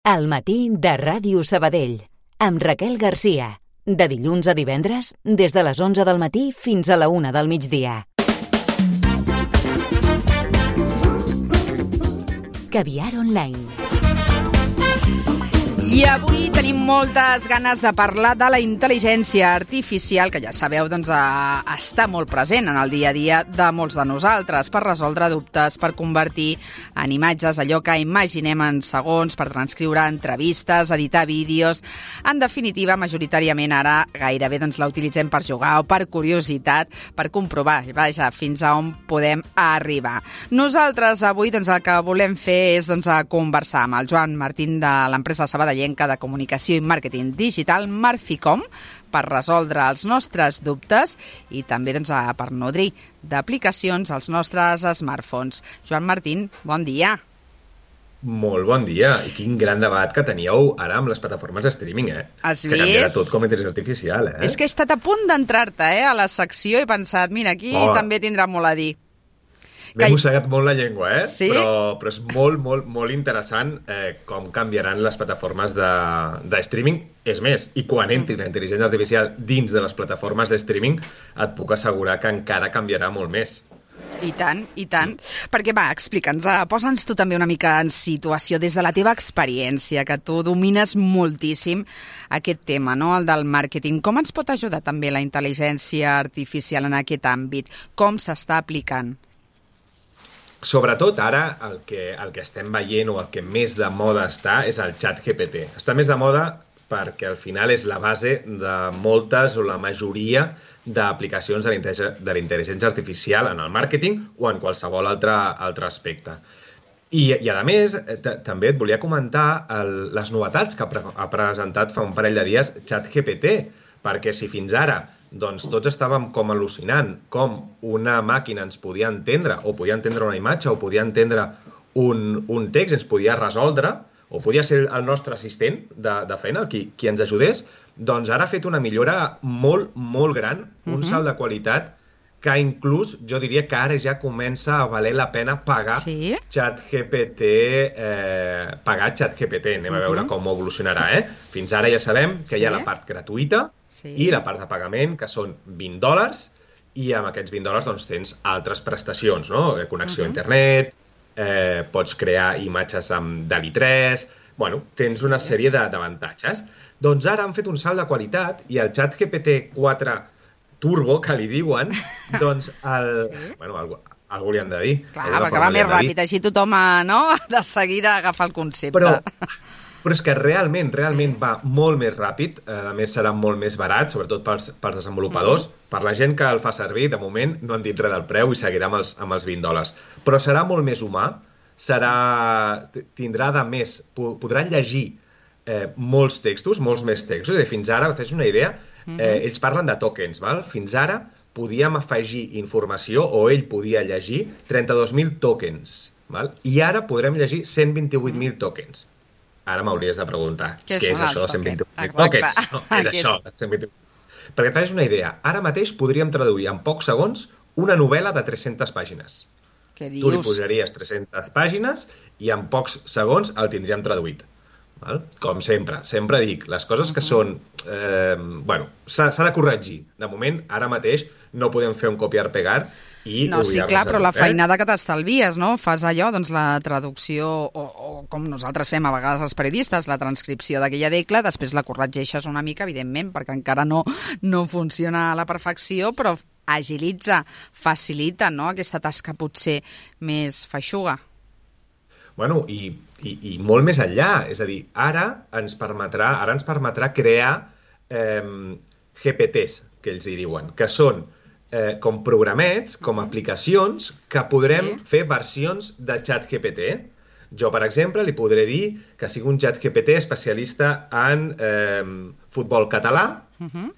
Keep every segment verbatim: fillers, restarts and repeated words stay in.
Al matí de Ràdio Sabadell, amb Raquel Garcia. De dilluns a divendres, des de les onze del matí fins a la una del migdia. Caviar Online. I avui tenim moltes ganes de parlar de la intel·ligència artificial, que ja sabeu, doncs, eh, està molt present en el dia a dia de molts de nosaltres, per resoldre dubtes, per convertir en imatges allò que imaginem en segons, per transcriure entrevistes, editar vídeos. En definitiva, majoritàriament ara gairebé doncs, la utilitzem per jugar o per curiositat, per comprovar, vaja, fins a on podem arribar. Nosaltres avui doncs, el que volem fer és doncs, conversar amb el Joan Martín de l'empresa Sabadell de comunicació i màrqueting digital Marficom per resoldre els nostres dubtes i també doncs, per nodrir d'aplicacions als nostres smartphones. Joan Martín, bon dia. Molt bon dia. I quin gran debat que teníeu ara amb les plataformes de streaming, eh? Has que vist? canviarà tot com a intel·ligència artificial, eh? És que he estat a punt d'entrar-te eh, a la secció i he pensat, mira, aquí oh. també tindrà molt a dir. M'he mossegat molt la llengua, eh? Sí? Però, però és molt, molt, molt interessant eh, com canviaran les plataformes de, de streaming. És més, i quan entri la intel·ligència artificial dins de les plataformes de streaming, et puc assegurar que encara canviarà molt més. I tant, i tant. Perquè, va, explica'ns, posa'ns tu també una mica en situació des de la teva experiència, que tu domines moltíssim aquest tema, no?, el del màrqueting. Com ens pot ajudar també la intel·ligència artificial en aquest àmbit? Com s'està aplicant? Sobretot ara el que, el que estem veient o el que més de moda està és el xat G P T. Està més de moda perquè al final és la base de moltes o la majoria d'aplicacions de la intel·ligència artificial en el màrqueting o en qualsevol altre, altre aspecte. I, i a més, també et volia comentar el, les novetats que ha, pre ha presentat fa un parell de dies xat G P T, perquè si fins ara doncs tots estàvem com al·lucinant com una màquina ens podia entendre, o podia entendre una imatge, o podia entendre un, un text, ens podia resoldre, o podia ser el nostre assistent de, de feina, qui, qui ens ajudés, doncs ara ha fet una millora molt, molt gran, un uh-huh. salt de qualitat, que inclús jo diria que ara ja comença a valer la pena pagar sí? xat G P T, eh, pagar xat G P T, anem uh-huh. a veure com evolucionarà, eh? Fins ara ja sabem que sí? hi ha la part gratuïta, sí. i la part de pagament, que són vint dòlars, i amb aquests vint dòlars doncs, tens altres prestacions, no? Connexió uh-huh. a internet, eh, pots crear imatges amb D A L L-E tres, bueno, tens una sèrie d'avantatges. Doncs ara han fet un salt de qualitat i el xat G P T quatre Turbo, que li diuen, doncs, el, sí? bueno, algú, algú li han de dir. Clar, perquè va més ràpid, així tothom, no?, de seguida agafa el concepte. Però... Però és que realment, realment va molt més ràpid, a més serà molt més barat, sobretot pels, pels desenvolupadors. Mm. Per la gent que el fa servir, de moment no han dit res del preu i seguirà amb els, amb els vint dòlars. Però serà molt més humà, serà, tindrà de més, podrà llegir eh, molts textos, molts més textos. I fins ara, tens una idea, eh, ells parlen de tokens, val? Fins ara podíem afegir informació, o ell podia llegir trenta-dos mil tokens, val? I ara podrem llegir cent vint-i-vuit mil tokens. Ara m'hauries de preguntar, què, què és això, cent vint-i-vuit mil tokens? No, què és això, cent vint-i-vuit? Perquè et facis una idea, ara mateix podríem traduir en pocs segons una novel·la de tres-centes pàgines. Què dius? Tu li posaries tres-centes pàgines i en pocs segons el tindríem traduït. Val? Com sempre, sempre dic, les coses que són... Eh, bueno, s'ha de corregir. De moment, ara mateix, no podem fer un copiar-pegar i no, sí, clar, però tot, la feinada eh? que t'estalvies, no? Fas allò, doncs la traducció, o, o com nosaltres fem a vegades els periodistes, la transcripció d'aquella decla, després la corregeixes una mica, evidentment, perquè encara no, no funciona a la perfecció, però agilitza, facilita, no?, aquesta tasca potser més feixuga. Bueno, i, i, i molt més enllà, és a dir, ara ens permetrà, ara ens permetrà crear eh, G P Ts, que ells hi diuen, que són Eh, com programets, com aplicacions, que podrem sí? fer versions de xat G P T. Jo, per exemple, li podré dir que sigui un xat G P T especialista en eh, futbol català uh-huh.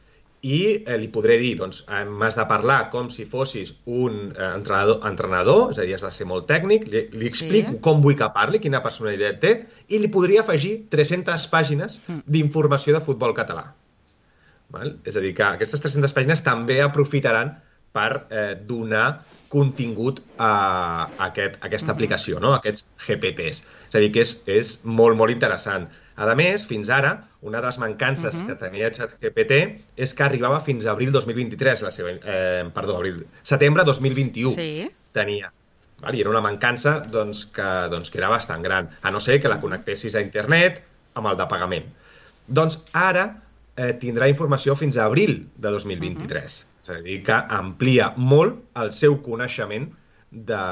i eh, li podré dir, doncs, m'has de parlar com si fossis un eh, entrenador, entrenador, és a dir, has de ser molt tècnic, li, li explico sí? com vull que parli, quina personalitat té, i li podria afegir tres-centes pàgines uh-huh. d'informació de futbol català. Val? És a dir, que aquestes tres-centes pàgines també aprofitaran per eh, donar contingut a, a, aquest, a aquesta aplicació, no? A aquests G P Ts. És a dir, que és, és molt, molt interessant. A més, fins ara, una de les mancances uh-huh. que tenia ChatGPT és que arribava fins a abril dos mil vint-i-tres, la seva, eh, perdó, abril, setembre dos mil vint-i-u sí. tenia. Val? I era una mancança doncs, que, doncs, que era bastant gran, a no ser que la connectessis a internet amb el de pagament. Doncs ara eh, tindrà informació fins a abril de dos mil vint-i-tres. Uh-huh. És a dir, que amplia molt el seu coneixement de,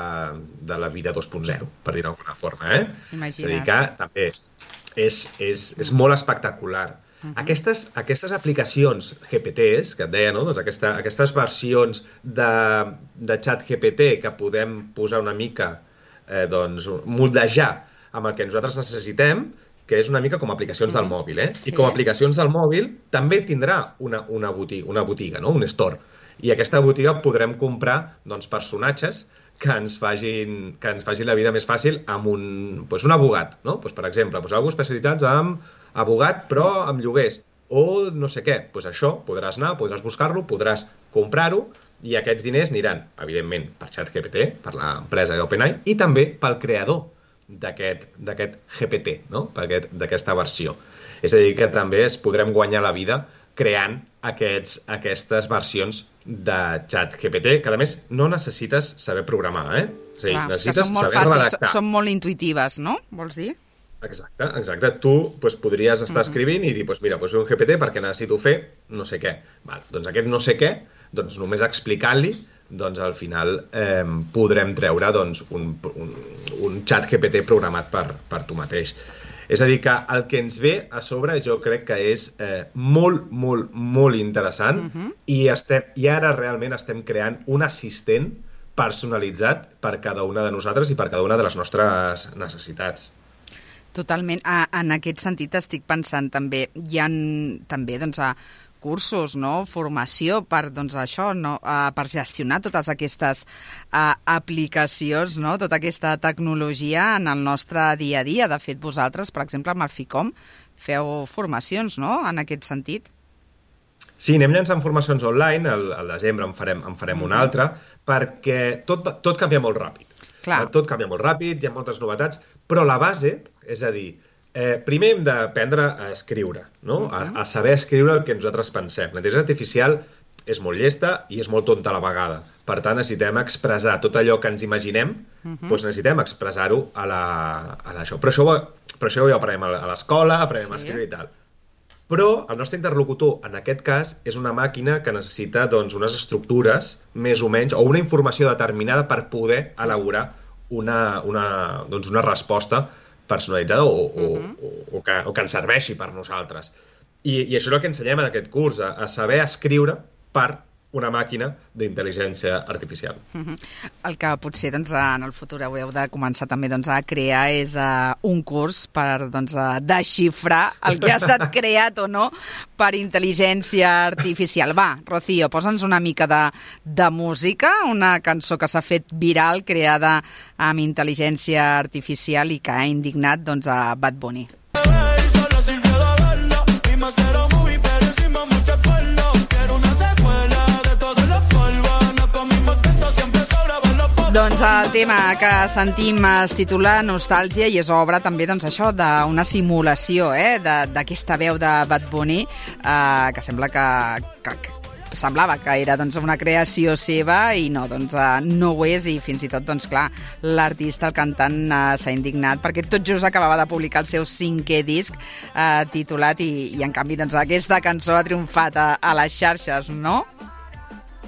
de la vida dos punt zero, per dir-ho d'alguna forma. Eh? Imagina't. És a dir, que també és, és, és molt espectacular. Uh-huh. Aquestes, aquestes aplicacions G P Ts, que et deia, no? Doncs aquesta, aquestes versions de, de xat G P T que podem posar una mica, eh, doncs, moldejar amb el que nosaltres necessitem, que és una mica com aplicacions del mòbil, eh? I sí. com aplicacions del mòbil també tindrà una, una, botiga, una botiga, no? Un store. I aquesta botiga podrem comprar doncs, personatges que ens facin, que ens facin la vida més fàcil amb un, doncs, un abogat, no? Doncs, per exemple, doncs, algú especialitzats amb abogat però amb lloguers o no sé què. Doncs això, podràs anar, podràs buscar-lo, podràs comprar-ho i aquests diners aniran, evidentment, per ChatGPT, per l'empresa OpenAI i també pel creador d'aquest G P T, no? D'aquesta versió. És a dir, que també es podrem guanyar la vida creant aquests, aquestes versions de ChatGPT, que a més no necessites saber programar, eh? És a dir, clar, necessites són molt saber fàcils, redactar. Són molt intuïtives, no? Vols dir? Exacte, exacte. Tu pues, podries estar escrivint i dir, pues, mira, pues, un G P T perquè necessito fer no sé què. Val, doncs aquest no sé què, doncs només explicant-li, doncs al final eh, podrem treure doncs, un, un, un xat G P T programat per, per tu mateix. És a dir, que el que ens ve a sobre jo crec que és eh, molt, molt, molt interessant uh-huh. i, estem, i ara realment estem creant un assistent personalitzat per cada una de nosaltres i per cada una de les nostres necessitats. Totalment. Ah, en aquest sentit estic pensant també, hi ha també doncs, a cursos, no? Formació per, doncs, això, no? uh, per gestionar totes aquestes uh, aplicacions, no? Tota aquesta tecnologia en el nostre dia a dia. De fet, vosaltres, per exemple, amb el FICOM, feu formacions, no?, en aquest sentit. Sí, anem llançant formacions online, al, al desembre en farem, en farem mm-hmm. una altra, perquè tot, tot canvia molt ràpid. Clar. Tot canvia molt ràpid, hi ha moltes novetats, però la base, és a dir, Eh, primer hem d'aprendre a escriure, no? Uh-huh. a, a saber escriure el que nosaltres pensem. La intel·ligència artificial és molt llesta i és molt tonta a la vegada. Per tant, necessitem expressar tot allò que ens imaginem, uh-huh. doncs necessitem expressar-ho a la, a l'això. Però això, però això ja ho aprenem a l'escola, aprenem sí. a escriure i tal. Però el nostre interlocutor, en aquest cas, és una màquina que necessita doncs, unes estructures, més o menys, o una informació determinada per poder elaborar una, una, doncs una resposta personalitzada o, uh-huh. o, o, o, que, o que ens serveixi per nosaltres. I, i això és el que ensenyem en aquest curs, a, a saber escriure per una màquina d'intel·ligència artificial. Uh-huh. El que potser doncs, en el futur haureu de començar també doncs, a crear és uh, un curs per doncs, uh, desxifrar el que ha estat creat o no per intel·ligència artificial. Va, Rocío, posa'ns una mica de, de música, una cançó que s'ha fet viral, creada amb intel·ligència artificial i que ha indignat doncs, a Bad Bunny. Doncs el tema que sentim es titula Nostàlgia i és obra també doncs, això d'una simulació eh, d'aquesta veu de Bad Bunny eh, que sembla que, que, que semblava que era doncs, una creació seva i no, doncs, eh, no ho és i fins i tot doncs, clar, l'artista, el cantant eh, s'ha indignat perquè tot just acabava de publicar el seu cinquè disc eh, titulat i, i en canvi doncs, aquesta cançó ha triomfat a, a les xarxes, no?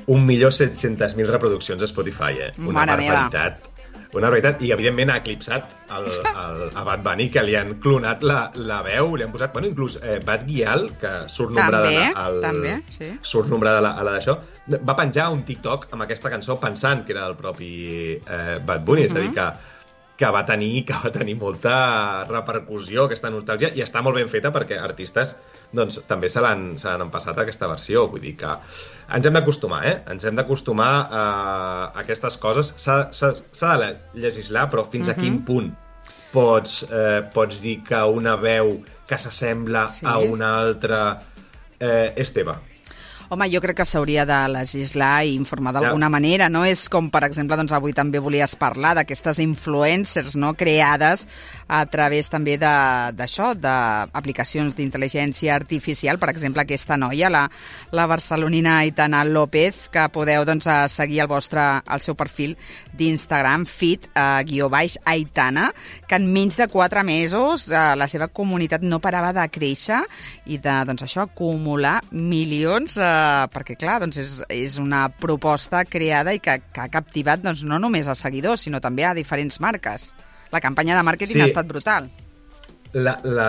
un milió set-cents mil reproduccions a Spotify, eh? Una Mare barbaritat. Meva. Una barbaritat. I, evidentment, ha eclipsat el, el, a Bad Bunny, que li han clonat la, la veu, li han posat... Bueno, inclús eh, Bad Gyal, que surt nombrada també, al, també, sí. surt nombrada a la, a la d'això, va penjar un TikTok amb aquesta cançó pensant que era el propi eh, Bad Bunny, uh-huh. és a dir, que que va tenir que va tenir molta repercussió, aquesta nostàlgia, i està molt ben feta perquè artistes doncs, també se l'han se l'han empassat a aquesta versió. Vull dir que ens hem d'acostumar, eh? Ens hem d'acostumar a aquestes coses. S'ha de legislar, però fins uh-huh. a quin punt pots, eh, pots dir que una veu que s'assembla sí. a una altra eh, és teva? Home, jo crec que s'hauria de legislar i informar d'alguna ja. manera, no? És com, per exemple, doncs avui també volies parlar d'aquestes influencers, no?, creades a través també d'això, d'aplicacions d'intel·ligència artificial. Per exemple, aquesta noia, la, la barcelonina Aitana López, que podeu doncs, seguir el vostre, el seu perfil d'Instagram, fit, eh, guió baix, Aitana, que en menys de quatre mesos eh, la seva comunitat no parava de créixer i de, doncs això, acumular milions, eh, perquè, clar, doncs és, és una proposta creada i que, que ha captivat doncs, no només a seguidors, sinó també a diferents marques. La campanya de màrqueting sí. ha estat brutal. La, la,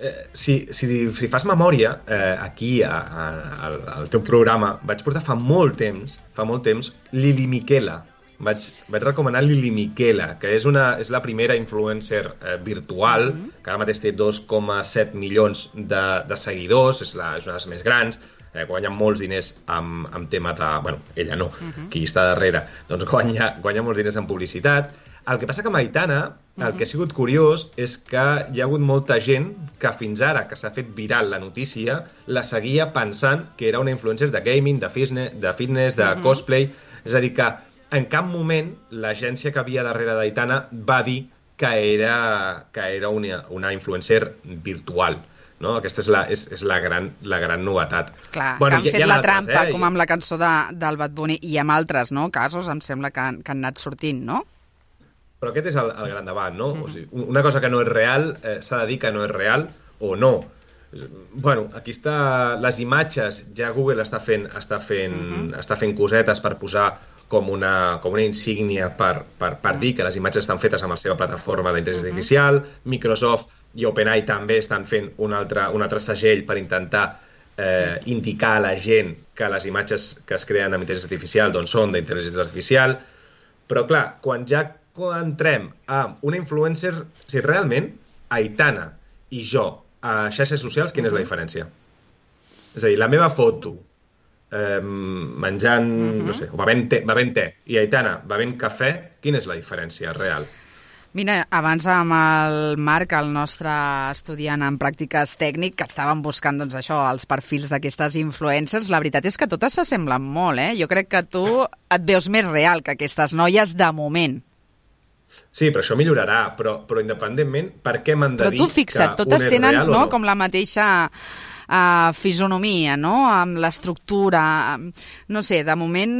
eh, si, si, si fas memòria, eh, aquí a, a, al, al teu programa vaig portar fa molt temps, fa molt temps, Lili Miquela. Vaig, vaig recomanar Lili Miquela, que és, una, és la primera influencer eh, virtual, mm-hmm. que ara mateix té dos coma set milions de, de seguidors, és, la, és una de les més grans, eh, guanya molts diners amb, amb tema de... Bueno, ella no, mm-hmm. qui està darrere, doncs guanya, guanya molts diners en publicitat. El que passa que amb Aitana, el que ha sigut curiós és que hi ha hagut molta gent que fins ara, que s'ha fet viral la notícia, la seguia pensant que era una influencer de gaming, de fitness, de, fitness, de mm-hmm. cosplay. És a dir, que en cap moment l'agència que havia darrere d'Aitana va dir que era, que era una, una influencer virtual. No? Aquesta és la, és, és la, gran, la gran novetat. Clar, bueno, que han fet la altres, trampa, eh? Com amb la cançó de, del Bad Bunny, i amb altres, no?, casos, em sembla que han, que han anat sortint, no? Però aquest és el, el gran debat, no? Mm-hmm. O sigui, una cosa que no és real, eh, s'ha de dir que no és real o no. Bueno, aquí està... Les imatges, ja Google està fent, està fent, mm-hmm. està fent cosetes per posar com una, com una insígnia per, per, per dir que les imatges estan fetes amb la seva plataforma d'intel·ligència mm-hmm. artificial. Microsoft i OpenAI també estan fent un altre, un altre segell per intentar eh, indicar a la gent que les imatges que es creen amb intel·ligència artificial doncs, són d'intel·ligència artificial. Però, clar, quan ja entrem a una influencer, si realment Aitana i jo a xarxes socials, quina és la diferència? És a dir, la meva foto eh, menjant, uh-huh. no sé, bevent te, bevent te, i Aitana bevent cafè, quina és la diferència real? Mira, abans amb el Marc, el nostre estudiant en pràctiques tècnic, que estàvem buscant doncs, això, els perfils d'aquestes influencers, la veritat és que totes s'assemblen molt, eh? Jo crec que tu et veus més real que aquestes noies de moment. Sí, però això millorarà, però, però independentment, per què m'han de dir que un és real o no? Però tu fixa't, totes tenen no, com la mateixa uh, fisonomia, no?, amb l'estructura, no sé, de moment,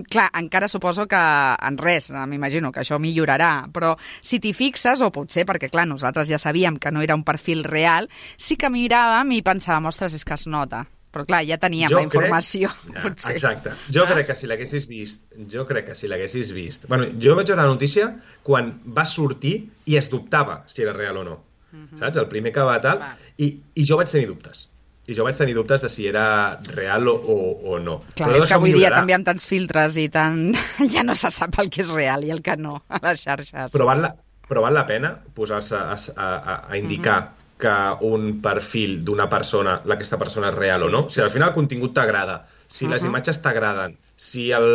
clar, encara suposo que en res, m'imagino que això millorarà, però si t'hi fixes, o potser, perquè clar, nosaltres ja sabíem que no era un perfil real, sí que miràvem i pensàvem, ostres, és que es nota. Però clar, ja teníem jo la informació. Crec... Ja, exacte. Jo ah. crec que si l'haguessis vist, jo crec que si l'haguessis vist... Bueno, jo vaig veure la notícia quan va sortir i es dubtava si era real o no. Uh-huh. Saps? El primer que va tal... Va. I, I jo vaig tenir dubtes. I jo vaig tenir dubtes de si era real o, o, o no. Clar, però és que avui dia també amb tants filtres i tant... ja no se sap el que és real i el que no a les xarxes. Però val la, però val la pena posar-se a, a, a, a indicar... Uh-huh. que un perfil d'una persona, aquesta persona és real sí. o no. Si al final el contingut t'agrada, si uh-huh. les imatges t'agraden, si el,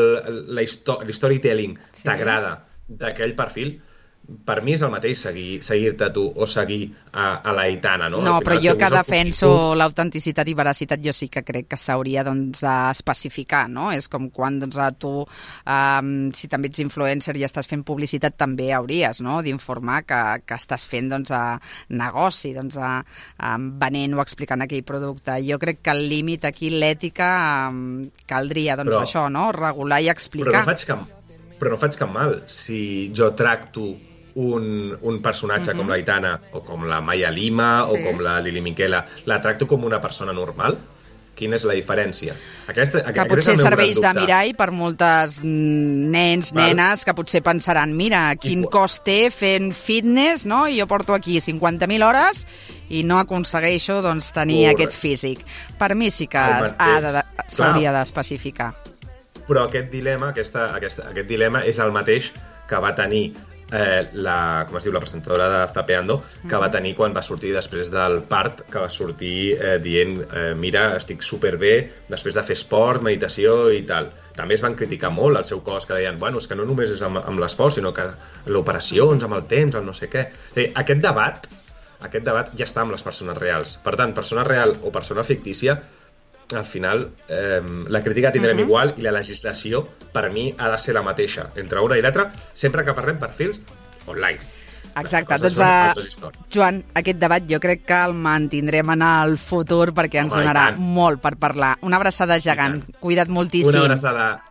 la storytelling sí. t'agrada d'aquell perfil, per mi és el mateix seguir, seguir-te tu o seguir a, a l'Aitana, no? No, però jo que defenso l'autenticitat i veracitat, jo sí que crec que s'hauria doncs, d'especificar, no? És com quan doncs, a tu, um, si també ets influencer i estàs fent publicitat, també hauries no? d'informar que, que estàs fent doncs, a negoci, doncs, a, a venent o explicant aquell producte. Jo crec que el límit aquí, l'ètica, um, caldria doncs, però, això, no? Regular i explicar. Però no faig cap, però no faig cap mal si jo tracto Un, un personatge uh-huh. com l'Aitana o com la Maya Lima sí. o com la Lili Miquela, la tracto com una persona normal? Quina és la diferència? Aquesta, que potser serveix de mirall per moltes nens, Val. nenes, que potser pensaran, mira, quin I... cost té fent fitness, no? I jo porto aquí cinquanta mil hores i no aconsegueixo doncs, tenir Correcte. aquest físic. Per mi sí que de, s'hauria d'especificar. Però aquest dilema, aquesta, aquesta, aquest dilema és el mateix que va tenir Eh, la, com es diu, la presentadora de Zapeando, que mm-hmm. va tenir quan va sortir després del part, que va sortir eh, dient eh, mira, estic superbé després de fer esport, meditació i tal. També es van criticar molt el seu cos, que deien, bueno, és que no només és amb, amb l'esport, sinó que l'operacions, amb el temps, el no sé què. Dir, aquest debat, aquest debat ja està amb les persones reals. Per tant, persona real o persona fictícia, al final, eh, la crítica tindrem Uh-huh. igual i la legislació, per mi, ha de ser la mateixa entre una i l'altra, sempre que parlem perfils online. Exacte, Les doncs coses són uh, altres històries. Joan, aquest debat jo crec que el mantindrem en el futur perquè ens Home, i donarà tant. molt per parlar. Una abraçada gegant, cuida't moltíssim. Una abraçada.